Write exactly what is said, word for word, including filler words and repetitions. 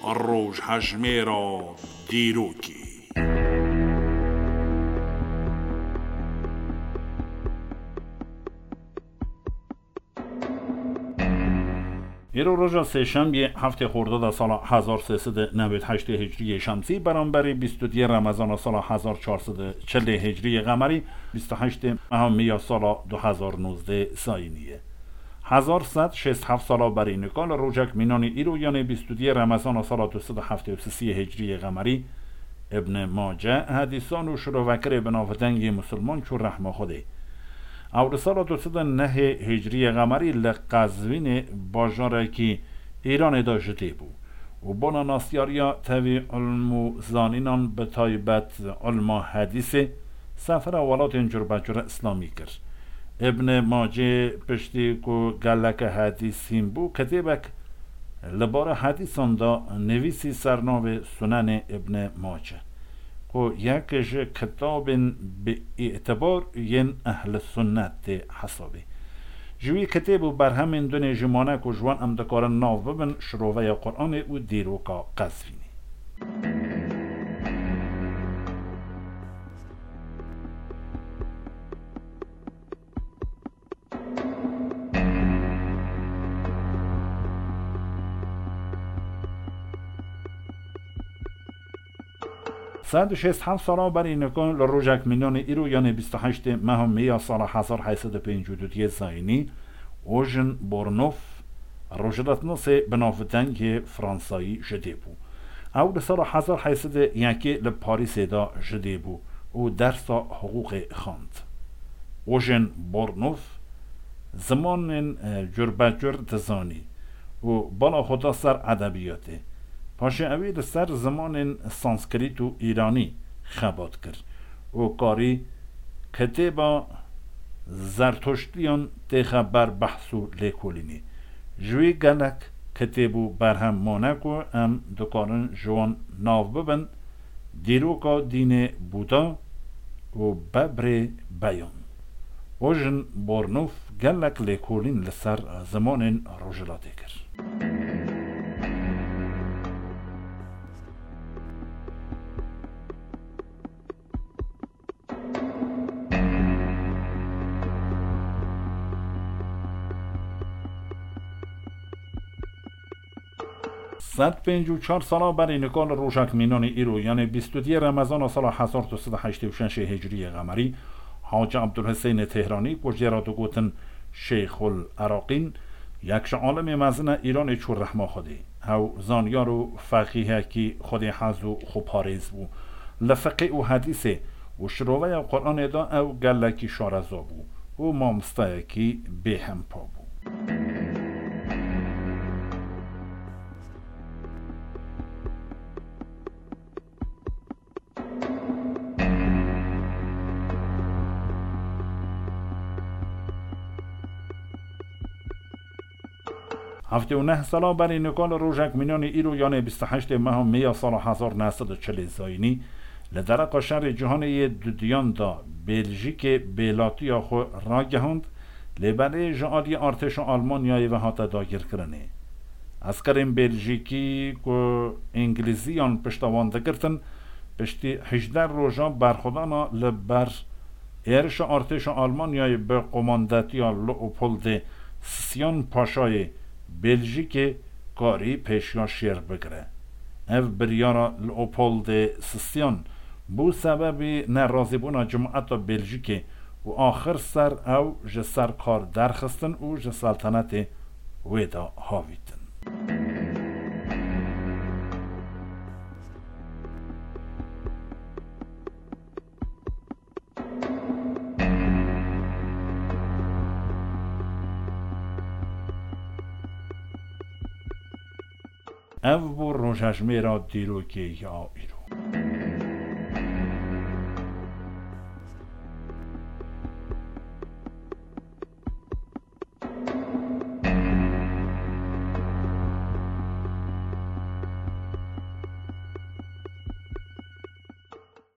Rojhejmêra dîrokê. Îro roja sêşemiyê, heftê Xordada sala hezar sê sed û newêd heştê Hicriyê Şemsî, beramberî bîst û duyê Remezana sala hezar çar sed û çilê Hicriyê Qemerî, bîst û heştê meha Mîya sala du hezar nozdeh Zayînî ye. Hezar sed şêst heft sala berî nika li rojek mînanê îro, yanê bîst û duyê Remezana sala du sed û heftê û sisiyê Hicriyê Qemerî, Ibn Mace hedîsan û şirovekirê bi navdeng yê Musulman çû rehma Xwedê. Ew li sala du sed û nehê Hicriyê Qemerî li Qezvînê, bajarekî Îranê de ji dê bû û bona nasyariya tevî ilm û zanînan, bi taybet ilma hedîsê, sefera welatên curbecur îslamî kir. Ibn Macê piştî ku geleke hedîs hîn bû, kitêbek li bara hedîsan de nivîsî ser navê Sunenê Ibn Mace, ku yek ji kitabên bi îtibar yên Ehl Sunnet tê hesabê. Ji wî kitêb û berhemên din ê jî mane ku ji wan em dikarin nav bibin, Şiroveya Quranê û Dîroka Qezvînê. Sed û şêst heft sala berî nika li rojek mînanê îro, yanê bîst û heştê meha Mê ya sala hezar heyt sed û pêncî û du yê Zayînî, Ojin Bornof, rojhilatnasê bi navdeng yê Fransayî ji dê bû. Ew li sala hezar heyt sed û yekê li Parîsê de ji dê bû û dersa hiqûqê xwend. Ojin Bornof zimanên, e, curbecur dizanî û bala xwe da ser edebiyatê. Paşê ewî li ser zimanên Sanskrit û Îranî xebat kir û karî kitêba Zertuştiyan têxe ber behs û lêkolînê. Ji wî gelek kitêb û berhem mane ku em dikarin ji wan nav bibin, Dîroka dînê Buda û Bebrê Beyan. Ojin Bornof gelek lêkolîn li ser zimanên Rojhilatê kir. Sed pêncî û çar sala berî nika li rojek mînanê îro, yanê bîst û duyê Remezana sala hezar du sed û heştê û şeş Hicriyê Qemerî, Hacî Ebdulhisênê Tehranî, ku jê re digotin Şeyxul Eraqîn, yek ji alimê mezin e Îranê, çû rehma Xwedê. Ew zanyar û feqîhekî Xwedê hez û xweparêz bû. Li fiqê û hedîsê û şiroveya Quranê de ew gelekî şareza bû û mamosteyekî bêhempa bû. Heftê û neh sala berî nika li rojek mînanê îro, yanê bîst û heştê meha Mê ya sala hezar neh sed û çilê Zayînî, li dereqa şerê cîhanê yê dudiyan de Bêljîkê bêlatiya xwe ragihand, lê belê ji aliyê artêşa Almanyayê ve hate dagirkirinê. Eskerên Bêljîkî ku Îngilîziyan pişta wan digirtin, piştî hejdeh roja berxwedana li ber êrişa artêşa Almanyayê bi qomandetiya Leopoldê Sisyan Paşayê Bêljîkê karî pêşiya şêr bigire. Ev biryara Leopoldê Sisyan bû sebebî nerazîbûna cemaeta Bêljîkê û axir ser ew ji ser kar derxistin û ji seltenetê wê de havîtin. Ev bû rojhejmêra dîrokê ya îro.